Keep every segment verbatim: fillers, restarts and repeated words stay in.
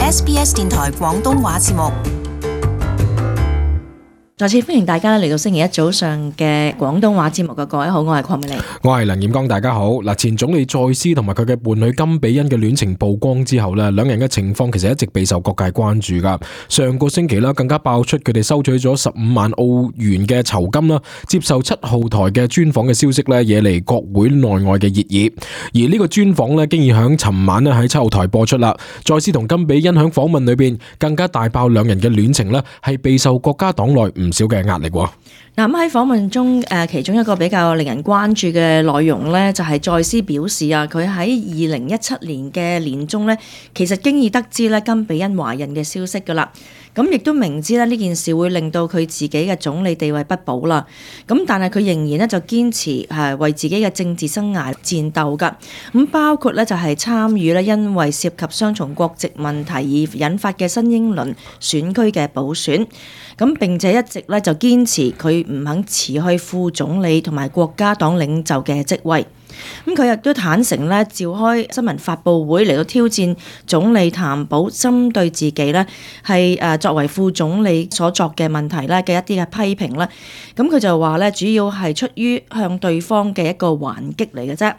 S B S 電台廣東話節目。再次歡迎大家嚟到星期一早上嘅廣東話節目嘅各位好，我係鄺美玲，我係梁彥剛，大家好。嗱，前總理蔡斯同埋佢嘅伴侶金比恩嘅戀情曝光之後咧，兩人嘅情況其實一直備受各界關注噶。上個星期啦，更加爆出佢哋收取咗十五萬澳元嘅酬金啦，接受七號台嘅專訪嘅消息咧，惹嚟國會內外嘅熱議。而呢個專訪咧，經已響尋晚咧喺七號台播出啦。蔡斯同金比恩響訪問裏邊更加大爆兩人嘅戀情咧，係備受國家黨內唔唔少嘅壓力喎。嗱，咁喺訪問中，誒其中一個比較令人關注嘅內容咧，就係蔡斯表示啊，佢喺二零一七年嘅年中咧，其實經已得知咧金比恩懷孕嘅消息噶啦。咁亦都明知咧呢件事會令到佢自己嘅總理地位不保啦。咁但係佢仍然咧就堅持係為自己嘅政治生涯戰鬥噶。咁包括咧就係參與咧因為涉及雙重國籍問題而引發嘅新英倫選區嘅補選。咁並且一直咧就堅持佢唔肯辭去副總理同埋國家黨領袖嘅職位。咁佢亦都坦誠咧召開新聞發佈會嚟到挑戰總理譚寶針對自己咧係誒作為副總理所作嘅問題咧嘅一啲嘅批評咧。咁佢就話咧主要係出於向對方嘅一個還擊嚟嘅啫。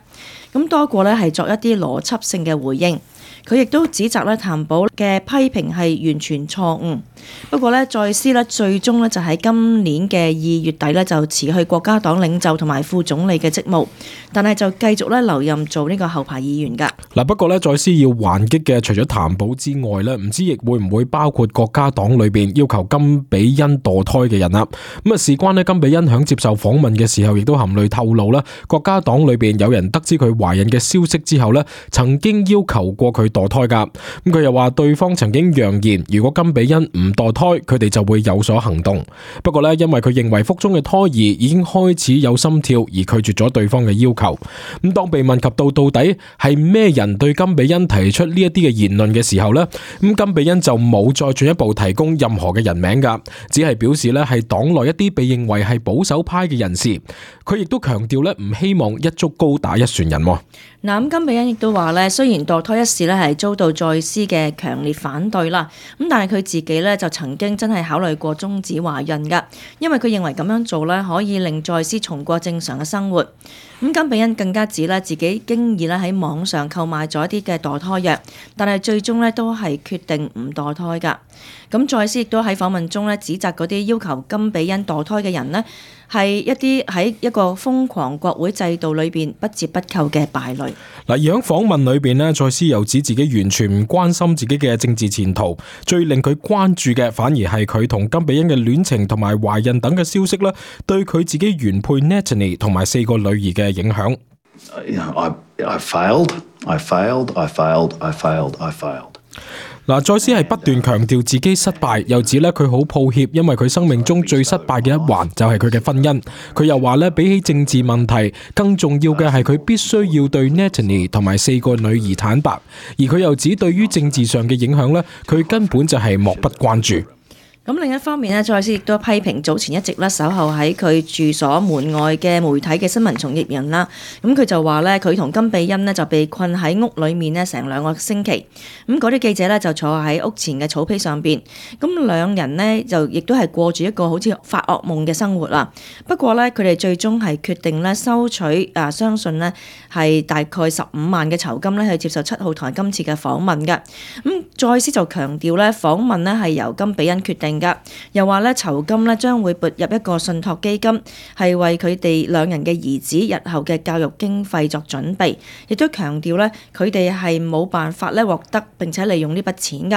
咁多過咧係作一啲邏輯性嘅回應。佢亦都指責咧譚寶嘅批評係完全錯誤。不過咧，蔡斯咧最終咧就喺今年嘅二月底咧就辭去國家黨領袖同埋副總理嘅職務，但係就繼續咧留任做呢個後排議員㗎。嗱，不過咧，蔡斯要還擊嘅除咗譚寶之外咧，唔知亦會唔會包括國家黨裏邊要求金比恩墮胎嘅人啦。咁啊，事關咧金比恩響接受訪問嘅時候，亦都含淚透露啦，國家黨裏邊有人得知佢懷孕嘅消息之後咧，曾經要求過佢墮胎㗎。咁佢又話對方曾經揚言，如果金比恩唔墮胎，佢哋就會有所行動。不過咧，因為佢認為腹中嘅胎兒已經開始有心跳，而拒絕咗對方嘅要求。咁當被問及到到底係咩人對金比恩提出呢一啲嘅言論嘅時候呢，咁金比恩就冇再進一步提供任何嘅人名噶，只係表示咧係黨內一啲被認為係保守派嘅人士。佢亦都強調咧唔希望一竹篙打一船人。嗱，咁金比恩亦都話咧，雖然墮胎一事咧係遭到蔡斯嘅強烈反對啦，咁但係佢自己咧就曾經真係考慮過終止懷孕噶，因為佢認為咁樣做咧可以令蔡斯重過正常嘅生活。咁金比恩更加指咧自己經已咧喺網上購買咗一啲嘅墮胎藥，但係最終咧都係決定唔墮胎噶。咁蔡斯亦都喺訪問中咧指責嗰啲要求金比恩墮胎嘅人呢，係一啲喺一個瘋狂國會制度裏邊不折不扣嘅敗類。嗱，而喺訪問裏邊呢，蔡斯又指自己完全唔關心自己嘅政治前途，最令佢關注嘅反而係佢同金比恩嘅戀情同埋懷孕等嘅消息啦，對佢自己原配 Natalie 同埋四個女兒嘅影響。I, I failed, I failed, I failed, I failed, I failed. 嗱，蔡斯係不斷強調自己失敗，又指咧佢好抱歉，因為佢生命中最失敗嘅一環就係佢嘅婚姻。佢又話咧，比起政治問題，更重要嘅係佢必須要對 Natalie 同埋四個女兒坦白。而佢又指對於政治上嘅影響咧，佢根本就係漠不關注。咁另一方面咧，蔡斯亦都批評早前一直咧守候喺佢住所門外嘅媒體嘅新聞從業人啦。咁佢就話咧，佢同金比恩呢就被困喺屋裏面呢成兩個星期。咁嗰啲記者咧就坐喺屋前嘅草皮上邊。咁兩人呢就亦都係過住一個好似發噩夢嘅生活啦。不過咧，佢哋最終係決定咧收取啊，相信呢係大概十五萬嘅酬金咧去接受七號台今次嘅訪問嘅。咁蔡斯就強調咧，訪問呢係由金比恩決定。又話咧酬金咧將會撥入一個信託基金，係為佢哋兩人嘅兒子日後嘅教育經費作準備。亦都強調咧佢哋係冇辦法咧獲得並且利用呢筆錢噶。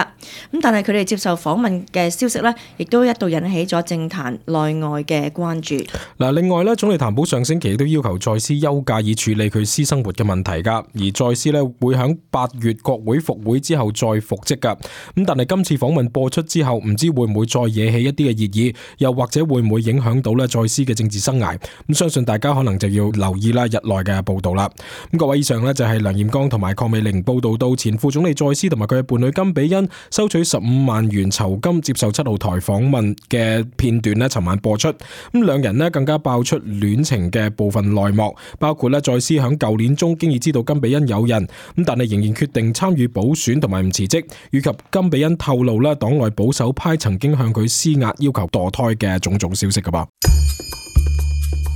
咁但係佢哋接受訪問嘅消息咧，亦都一度引起咗政壇內外嘅關注。嗱，另外咧，總理譚寶上星期都要求蔡斯休假以處理佢私生活嘅問題噶。而蔡斯咧會喺八月國會復會之後再復職噶。咁但係今次訪問播出之後，唔知會唔會會再惹起一啲嘅熱議，又或者會唔會影響到咧再思嘅政治生涯？咁相信大家可能就要留意啦日內嘅報道啦。咁各位，以上呢就係梁彥剛同埋鄺美玲報道到前副總理再思同埋佢嘅伴侶甘比恩收取十五萬元酬金接受七號台訪問嘅片段呢，尋晚播出。咁兩人呢更加爆出戀情嘅部分內幕，包括咧再思響舊年中經已知道甘比恩有人，咁但係仍然決定參與補選同埋唔辭職，以及甘比恩透露咧黨內保守派曾經向佢施壓要求墮胎嘅種種消息噶噃。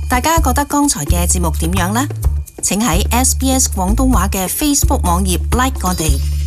大家覺得剛才嘅節目點樣呢？請喺 S B S 廣東話嘅 Facebook 網頁 like 我哋。